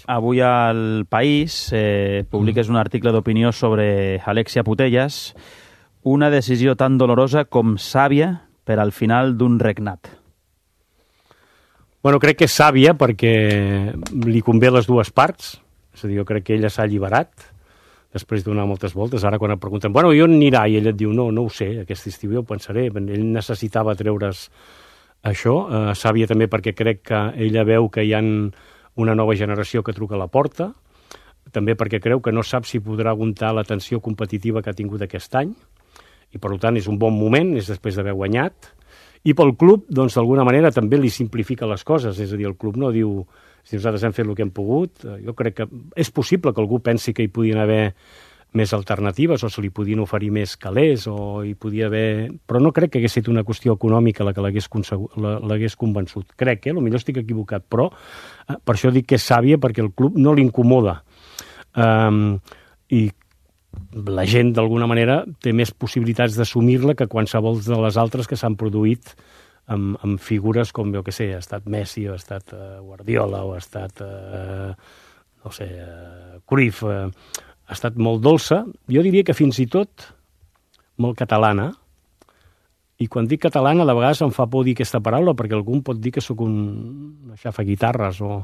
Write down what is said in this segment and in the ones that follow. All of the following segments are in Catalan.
Avui al País publiques un article d'opinió sobre Alexia Putellas, una decisió tan dolorosa com sàvia per al final d'un regnat. Bueno, crec que és sàvia perquè li convé les dues parts, és a dir, jo crec que ella s'ha alliberat després de donar moltes voltes. Ara quan et pregunten, bueno, i on anirà? I ella et diu, no ho sé, aquest estiu jo ho pensaré. Ell necessitava treure's això. Sàvia també perquè crec que ella veu que hi ha una nova generació que truca a la porta, també perquè creu que no sap si podrà aguantar la tensió competitiva que ha tingut aquest any, i per tant és un bon moment, és després d'haver guanyat, i pel club, doncs d'alguna manera també li simplifica les coses, és a dir, el club no diu si nosaltres hem fet el que hem pogut. Jo crec que és possible que algú pensi que hi podien haver més alternatives o se li podien oferir més calés o hi podia haver... Però no crec que hagués estat una qüestió econòmica la que l'hagués convençut. Crec, potser estic equivocat, però per això dic que és sàvia perquè el club no l'incomoda. I la gent, d'alguna manera, té més possibilitats d'assumir-la que qualsevol de les altres que s'han produït amb figures com, jo què sé, ha estat Messi, o ha estat Guardiola, o ha estat, Cruyff. Ha estat molt dolça, jo diria que fins i tot molt catalana, i quan dic catalana de vegades em fa por dir aquesta paraula perquè algú pot dir que sóc un xafaguitarres o...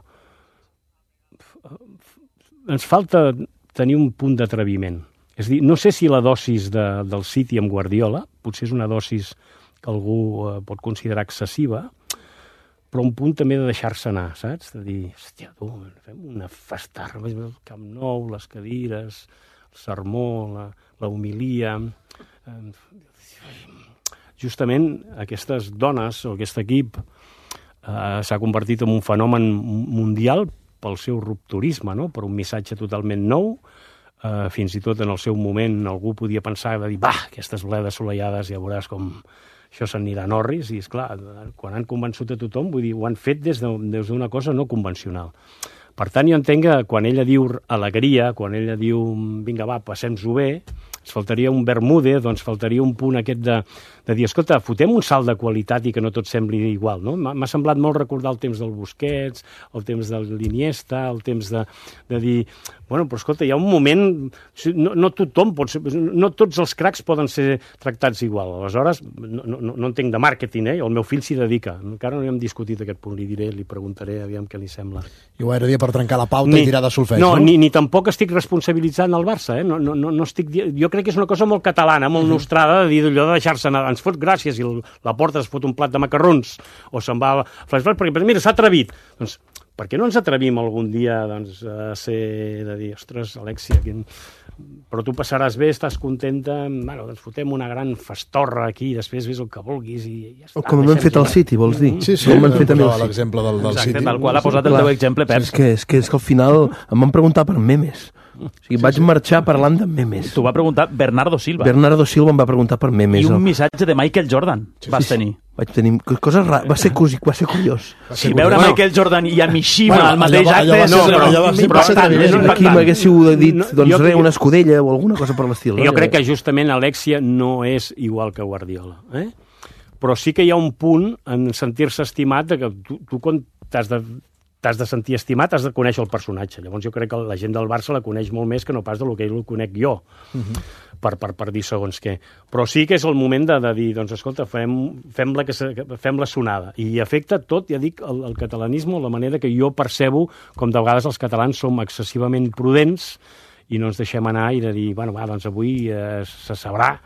Ens falta tenir un punt d'atreviment. És a dir, no sé si la dosis del City amb Guardiola, potser és una dosis que algú pot considerar excessiva, però un punt també de deixar-se anar, saps? De dir, hòstia, tu, fem una festarra, el Camp Nou, les cadires, el sermó, la homilia... Justament aquestes dones, o aquest equip, s'ha convertit en un fenomen mundial pel seu rupturisme, no? Per un missatge totalment nou. Fins i tot en el seu moment algú podia pensar de dir, aquestes bledes solellades ja veuràs com... això s'anirà a Norris, i esclar, quan han convençut a tothom, vull dir, ho han fet des d'una cosa no convencional. Per tant, jo entenc que quan ella diu alegria, quan ella diu vinga, va, passem-nos-ho bé, ens faltaria un Bermude, doncs faltaria un punt aquest de dir, escolta, fotem un salt de qualitat i que no tot sembli igual, no? M'ha semblat molt recordar el temps del Busquets, el temps de l'Iniesta, el temps de dir, bueno, però escolta, hi ha un moment, no tothom pot ser, no tots els cracs poden ser tractats igual. Aleshores, no entenc de màrqueting, el meu fill s'hi dedica. Encara no hi hem discutit aquest punt, li preguntaré, aviam què li sembla. I ho era dia per trencar la pauta i tirar de solfeig, no? Ni tampoc estic responsabilitzant el Barça, no estic... Jo crec que és una cosa molt catalana, molt nostrada, de dir allò de deixar-se anar, ens fot gràcies i la porta es fot un plat de macarrons o se'n va a flashback, perquè mira, s'ha atrevit. Doncs per què no ens atrevim algun dia a de dir, ostres, Alexia, però tu passaràs bé, estàs contenta, doncs fotem una gran festorra aquí, després ves el que vulguis i ja està. O com hem fet al City, vols dir? Sí, com hem fet l'exemple del City. Tal qual ha posat el teu exemple, Pep. És que al final em van preguntar per memes. O sigui, vaig marxar parlant de memes. T'ho va preguntar Bernardo Silva. Bernardo Silva em va preguntar per memes. I un missatge de Michael Jordan vas tenir. Vaig tenir coses rares. Va ser curiós. Si veure Michael Jordan i a Mishima al mateix acte... Aquí m'haguéssiu dit, doncs res, una escudella o alguna cosa per l'estil. Jo crec que justament Alexia no és igual que Guardiola. Però sí que hi ha un punt en sentir-se estimat que tu quan t'has de sentir estimat, has de conèixer el personatge. Llavors jo crec que la gent del Barça la coneix molt més que no pas del que el conec jo, per dir segons què. Però sí que és el moment de dir, doncs escolta, fem-la sonada. I afecta tot, ja dic, el catalanisme, la manera que jo percebo com de vegades els catalans som excessivament prudents i no ens deixem anar i de dir, bueno, doncs avui se sabrà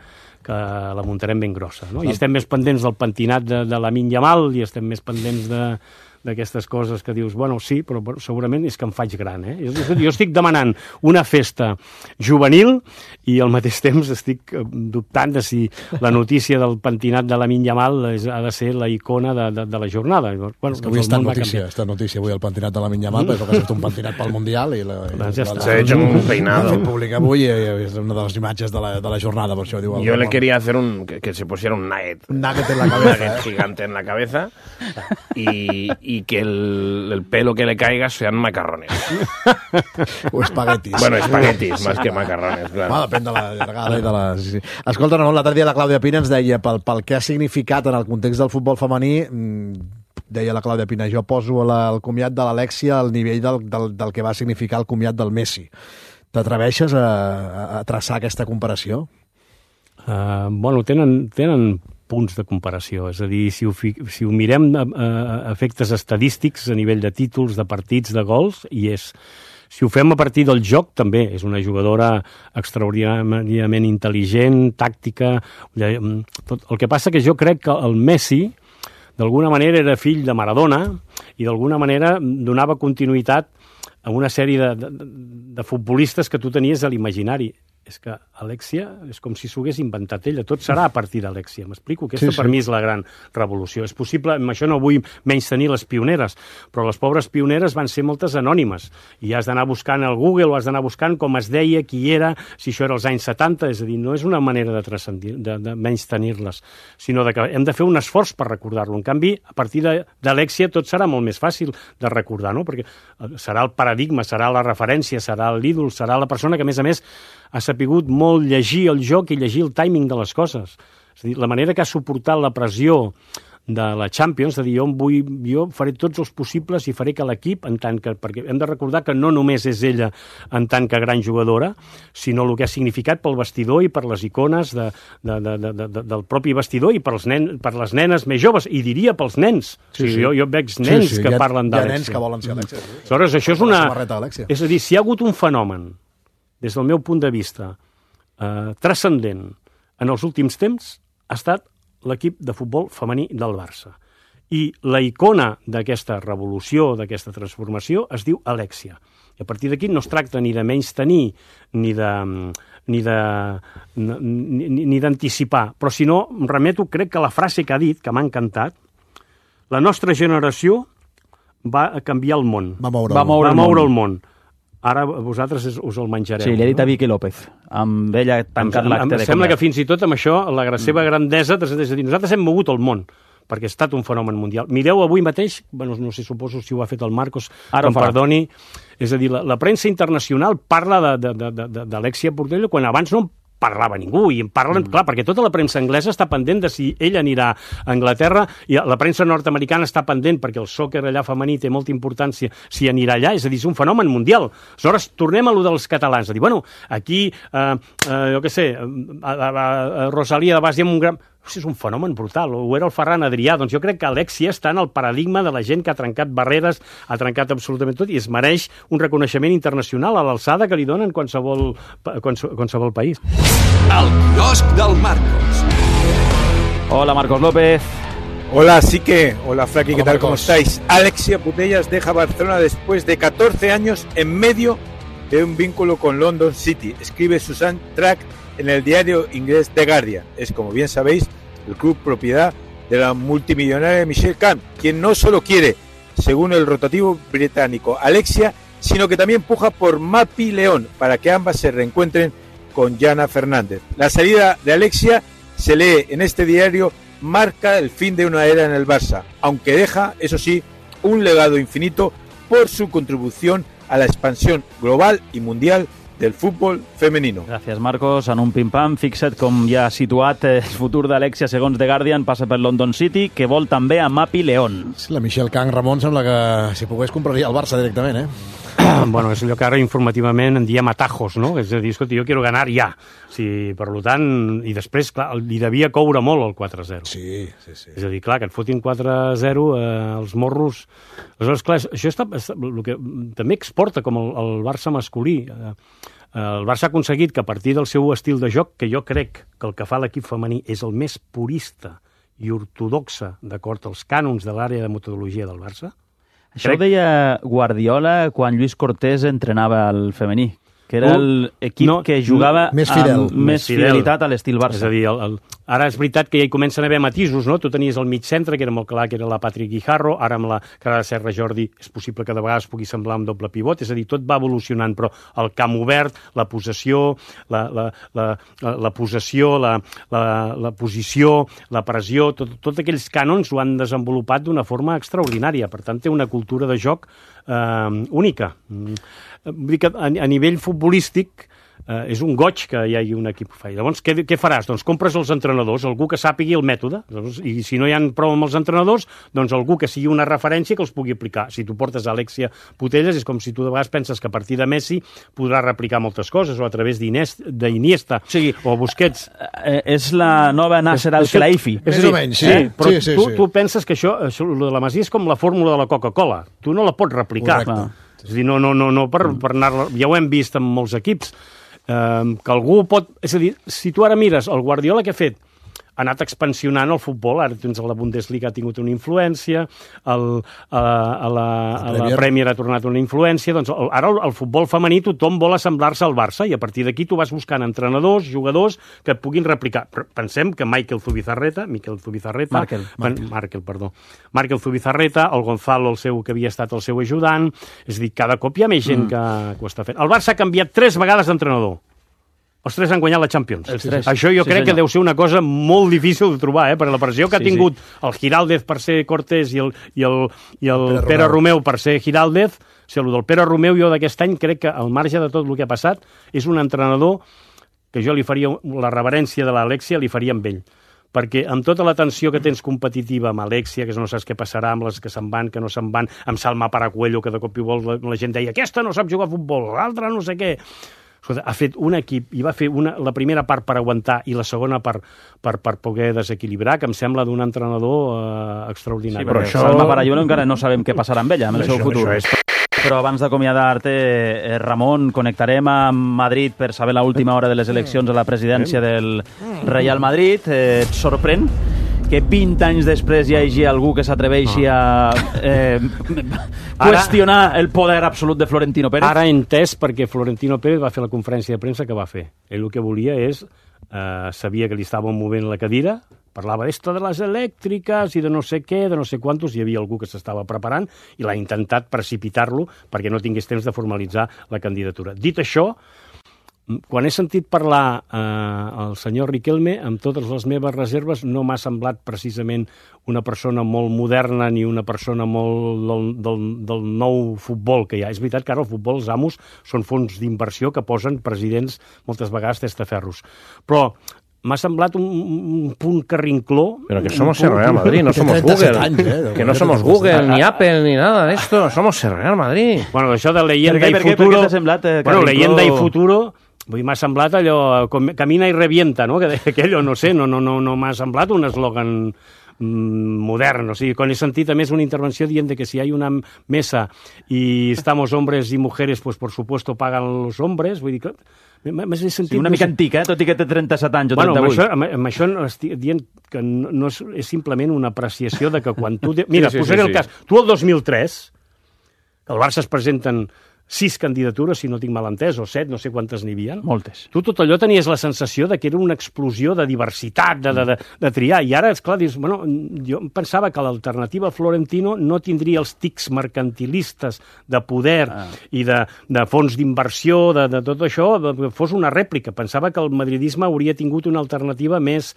que la muntarem ben grossa, no? I estem més pendents del pentinat de Lamine Yamal i estem més pendents d'aquestes coses que dius, bueno, sí, però segurament és que em faig gran, Jo estic demanant una festa juvenil i al mateix temps estic dubtant de si la notícia del pentinat de Lamine Yamal ha de ser la icona de la jornada. És que avui està notícia avui el pentinat de Lamine Yamal, però que ha fet un pentinat pel Mundial i s'ha hecho un peinado. L'ha fet públic avui i és una de les imatges de la jornada, per això diu. Yo le quería hacer que se pusiera un nugget. Un nugget en la cabeza. Un nugget gigante en la cabeza y que el pelo que le caiga sean macarrones. O espaguetis. Bueno, espaguetis, más que macarrones, claro. Depèn de la llargada i de la... Sí. Escolta, Ramon, l'altre dia la Clàudia Pina ens deia pel que ha significat en el context del futbol femení deia la Clàudia Pina, jo poso el comiat de l'Alexia al nivell del que va significar el comiat del Messi. T'atreveixes a traçar aquesta comparació? Bueno, tenen punts de comparació, és a dir, si ho mirem a efectes estadístics a nivell de títols, de partits, de gols, i si ho fem a partir del joc, també és una jugadora extraordinàriament intel·ligent, tàctica. El que passa que jo crec que el Messi, d'alguna manera, era fill de Maradona i d'alguna manera donava continuïtat a una sèrie de futbolistes que tu tenies a l'imaginari. És que Alexia és com si s'ho hagués inventat ella. Tot serà a partir d'Alexia. M'explico? Aquesta per mi és la gran revolució. És possible, amb això no vull menystenir les pioneres, però les pobres pioneres van ser moltes anònimes. I has d'anar buscant al Google o has d'anar buscant com es deia, qui era, si això era als anys 70. És a dir, no és una manera de menystenir-les, sinó que hem de fer un esforç per recordar-lo. En canvi, a partir d'Alexia tot serà molt més fàcil de recordar, no? Perquè serà el paradigma, serà la referència, serà l'ídol, serà la persona que, a més, ha sapigut molt llegir el joc i llegir el timing de les coses. És a dir, la manera que ha suportat la pressió de la Champions, de dir, jo faré tots els possibles i faré que l'equip, perquè hem de recordar que no només és ella en tant que gran jugadora, sinó el que ha significat pel vestidor i per les icones del propi vestidor i per les nenes més joves, i diria pels nens. Sí, sí. Jo veig nens que parlen d'Alexia. Hi ha nens que volen ser Alexia. Aleshores, això és a dir, si hi ha hagut un fenomen des del meu punt de vista, transcendent en els últims temps, ha estat l'equip de futbol femení del Barça. I la icona d'aquesta revolució, d'aquesta transformació, es diu Alexia. I a partir d'aquí no es tracta ni de menystenir, ni d'anticipar, però si no, em remeto, crec que la frase que ha dit, que m'ha encantat, la nostra generació va canviar el món. Va moure el món. Ara vosaltres us el menjareu. Sí, li ha dit a Vicky López. Amb ella tancat l'acte de canviar. Sembla que fins i tot amb això, la seva grandesa, és a dir, nosaltres hem mogut el món, perquè ha estat un fenomen mundial. Mireu avui mateix, bueno, no sé, suposo si ho ha fet el Marcos, que em perdoni, és a dir, la premsa internacional parla d'Alexia Putellas quan abans no parlava ningú, i en parlen, clar, perquè tota la premsa anglesa està pendent de si ella anirà a Anglaterra, i la premsa nord-americana està pendent, perquè el sòquer allà femení té molta importància, si anirà allà, és a dir, és un fenomen mundial. Aleshores, tornem a lo dels catalans, a dir, bueno, aquí, jo què sé, a Rosalia de Bas hi ha un gran... És un fenomen brutal, o era el Ferran Adrià. Doncs jo crec que Alexia està en el paradigma de la gent que ha trencat barreres, ha trencat absolutament tot, i es mereix un reconeixement internacional a l'alçada que li donen qualsevol país. El quiosc del Marcos. Hola, Marcos López. Hola, Sique. Hola, Fraki, ¿qué tal? Marcos. ¿Cómo estáis? Alexia Putellas deja Barcelona después de 14 años en medio de un vínculo con London City. Escribe Susan Track en el diario inglés The Guardian. Es, como bien sabéis, el club propiedad de la multimillonaria Michelle Camp, quien no solo quiere, según el rotativo británico, Alexia, sino que también puja por Mapi León para que ambas se reencuentren con Jana Fernández. La salida de Alexia, se lee en este diario, marca el fin de una era en el Barça, aunque deja, eso sí, un legado infinito por su contribución a la expansión global y mundial del futbol femenino. Gràcies, Marcos. En un pim-pam, fixa't com ja ha situat el futur d'Alexia, segons The Guardian, passa per London City, que vol també a Mapi León. Sí, la Michelle Kang, Ramon, sembla que si pogués compraria el Barça directament, Bueno, és allò que ara informativament en diem atajos, no? És a dir, escolta, jo quiero ganar ja. Sí, per tant, i després, clar, li devia coure molt el 4-0. Sí. És a dir, clar, que et fotin 4-0 els morros. Aleshores, clar, això el que també exporta com el Barça masculí. El Barça ha aconseguit que a partir del seu estil de joc, que jo crec que el que fa l'equip femení és el més purista i ortodoxa d'acord als cànons de l'àrea de metodologia del Barça. Això ho deia Guardiola quan Lluís Cortés entrenava el femení, que era l'equip que jugava amb més fidelitat a l'estil Barça. És a dir, ara és veritat que ja hi comencen a haver matisos, no? Tu tenies el mig centre, que era molt clar que era la Patrick Guijarro, ara amb la cara de Serra Jordi és possible que de vegades pugui semblar un doble pivot, és a dir, tot va evolucionant, però el camp obert, la possessió, la possessió, la posició, la pressió, tots aquells cànons ho han desenvolupat d'una forma extraordinària, per tant té una cultura de joc única. Vull dir que a nivell futbolístic és un goig que hi hagi un equip que fa. Llavors, què faràs? Doncs compres els entrenadors, algú que sàpigui el mètode, i si no hi ha prou amb els entrenadors, doncs algú que sigui una referència que els pugui aplicar. Si tu portes Alexia Putellas, és com si tu de vegades penses que a partir de Messi podrà replicar moltes coses, o a través d'Iniesta, o Busquets. És la nova Nasser Al-Khelaifi. Més o menys, sí. Però tu penses que això de la Masia és com la fórmula de la Coca-Cola. Tu no la pots replicar. És a dir, no per anar-la... Ja ho hem vist en molts equips, que algú pot... És a dir, si tu ara mires el Guardiola que ha fet, ha anat expansionant el futbol, ara tens la Bundesliga ha tingut una influència, a la Premier ha tornat una influència, doncs ara el futbol femení tothom vol assemblar-se al Barça i a partir d'aquí tu vas buscant entrenadors, jugadors que et puguin replicar. Pensem que Markel Zubizarreta, el Gonzalo, que havia estat el seu ajudant, és a dir, cada cop hi ha més gent que ho està fent. El Barça ha canviat 3 vegades d'entrenador. Els 3 han guanyat la Champions. Això jo crec que deu ser una cosa molt difícil de trobar, per la pressió que ha tingut el Giraldez per ser Cortés i el Pere Romeu per ser Giraldez. O sigui, el del Pere Romeu jo d'aquest any crec que al marge de tot el que ha passat és un entrenador que jo li faria la reverència de l'Alexia, li faria amb ell. Perquè amb tota la tensió que tens competitiva amb Alexia, que no saps què passarà amb les que se'n van, que no se'n van, amb Salma Paracuello, que de cop i volta la gent deia aquesta no sap jugar a futbol, l'altra no sé què. Ha fet un equip i va fer la primera part per aguantar i la segona per poder desequilibrar, que em sembla d'un entrenador extraordinari. Sí, però Salma Paracuello encara no sabem què passarà amb ella, amb el seu futur. Però abans d'acomiadar-te, Ramon, connectarem amb Madrid per saber l'última hora de les eleccions a la presidència del Real Madrid. Et sorprèn que 20 anys després hi hagi algú que s'atreveixi a qüestionar el poder absolut de Florentino Pérez? Ara he entès perquè Florentino Pérez va fer la conferència de premsa que va fer. Ell el que volia és... sabia que li estaven movent la cadira, parlava d'esto de les elèctriques i de no sé què, de no sé quantos, hi havia algú que s'estava preparant i l'ha intentat precipitar-lo perquè no tingués temps de formalitzar la candidatura. Dit això, quan he sentit parlar el senyor Riquelme, amb totes les meves reserves, no m'ha semblat precisament una persona molt moderna ni una persona molt del nou futbol que hi ha. És veritat que ara el futbol, els amos, són fons d'inversió que posen presidents moltes vegades testaferros. Però m'ha semblat un punt carrincló. Pero que somos el Real Madrid, no somos Google. Que no somos Google, ni Apple, ni nada de esto. Somos el Real Madrid. Bueno, això de leyenda i futuro... Per què t'ha semblat bueno, leyenda i futuro... Vull dir, m'ha semblat allò, camina i revienta, no? Que deia aquello, no sé, no m'ha semblat un eslògan modern. O sigui, quan he sentit a més una intervenció dient que si hi ha una mesa i estamos hombres y mujeres, pues por supuesto pagan los hombres, vull dir que... Sentit, sí, una mica antic, tot i que té 37 anys o 38. Amb això estic dient que no és simplement una apreciació de que quan tu... Mira, posaré el cas. Tu el 2003, el Barça es presenten 6 candidatures, si no tinc mal entès, o 7, no sé quantes n'hi havia. Moltes. Tu tot allò tenies la sensació de que era una explosió de diversitat, de triar, i ara, esclar, dius, bueno, jo pensava que l'alternativa a Florentino no tindria els tics mercantilistes de poder i de fons d'inversió, de tot això, que fos una rèplica. Pensava que el madridisme hauria tingut una alternativa més...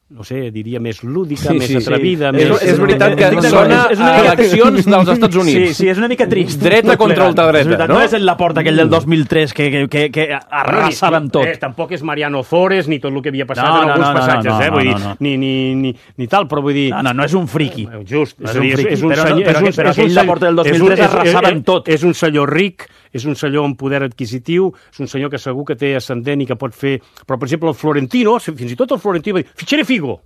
no sé, diria més lúdica, més atrevida... És veritat que sona a eleccions dels Estats Units. Sí, és una mica trist. Dreta contra ultradreta, no? No és en la porta aquell del 2003 que arrasava amb tot. Tampoc és Mariano Zores ni tot el que havia passat en alguns passatges, vull dir, ni tal, però vull dir... No és un friqui. Just, és un senyor... Però aquell la porta del 2003 arrasava amb tot. És un senyor ric, és un senyor amb poder adquisitiu, és un senyor que segur que té ascendent i que pot fer... Però, per exemple, el Florentino, fins i tot el Florentino va dir, fitxaré Figo.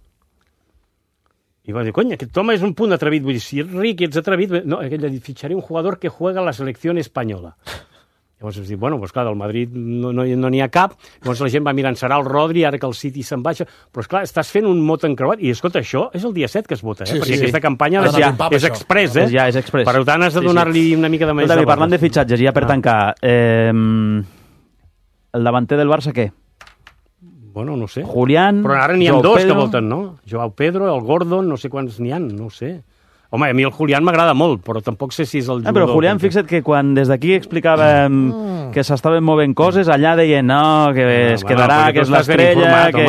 I va dir, coño, aquest home és un punt atrevit. Vull dir, si ets ric i ets atrevit... No, ell va dir, fitxaré un jugador que juega a la selecció espanyola. Llavors es diu, bueno, doncs clar, del Madrid no n'hi ha cap, llavors la gent va mirant, serà el Rodri, ara que el City se'n baixa, però esclar, estàs fent un mot encreuat, i escolta, això és el dia 7 que es vota, perquè aquesta campanya és express, Ja, és express. Per tant, has de donar-li una mica de més... Parlant de fitxatges, ja per tancar, el davanter del Barça, què? Bueno, no sé. Julián, però ara n'hi ha dos que voten, no? Joao Pedro, el Gordon, no sé quants n'hi ha, no sé. Home, a mi el Julián m'agrada molt, però tampoc sé si és el jugador... Però Julián, fixa't que quan des d'aquí explicàvem que s'estaven movent coses, allà deien no, que es quedarà, que és l'estrella, que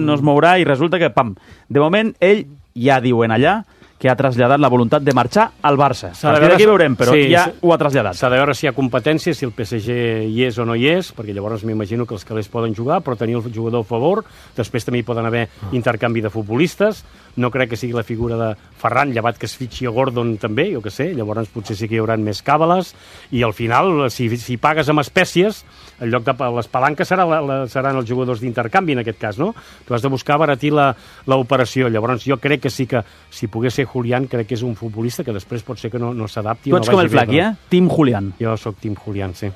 no es mourà, i resulta que, pam, de moment ell ja diuen allà que ha traslladat la voluntat de marxar al Barça. A partir d'aquí veurem, però ja ho ha traslladat. S'ha de veure si hi ha competència, si el PSG hi és o no hi és, perquè llavors m'imagino que els calés poden jugar, però tenir el jugador a favor, després també hi poden haver intercanvi de futbolistes, no crec que sigui la figura de Ferran, llevat que es fitxi a Gordon també, jo què sé, llavors potser sí que hi haurà més càbales, i al final, si pagues amb espècies, en lloc de les palanques seran els jugadors d'intercanvi en aquest cas, no? Tu has de buscar abaratir l'operació, llavors jo crec que sí que si pogués ser Julián, crec que és un futbolista que després pot ser que no s'adapti. Tu ets com el Flaqui, Team Julián. Jo sóc Team Julián, sí.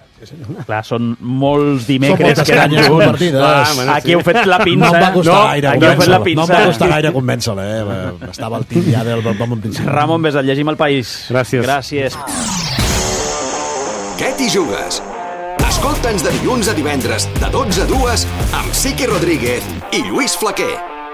Clar, són molts dimecres que eren junts. Aquí heu fet la pinça. No em va costar gaire. No em va costar gaire convèncer-la, Estava al team ja del bon principi. Ramon Besat, llegim El País. Gràcies. Què t'hi jugues? Escolta'ns de dilluns a divendres, de 12 a 2, amb Siqui Rodríguez i Lluís Flaquer.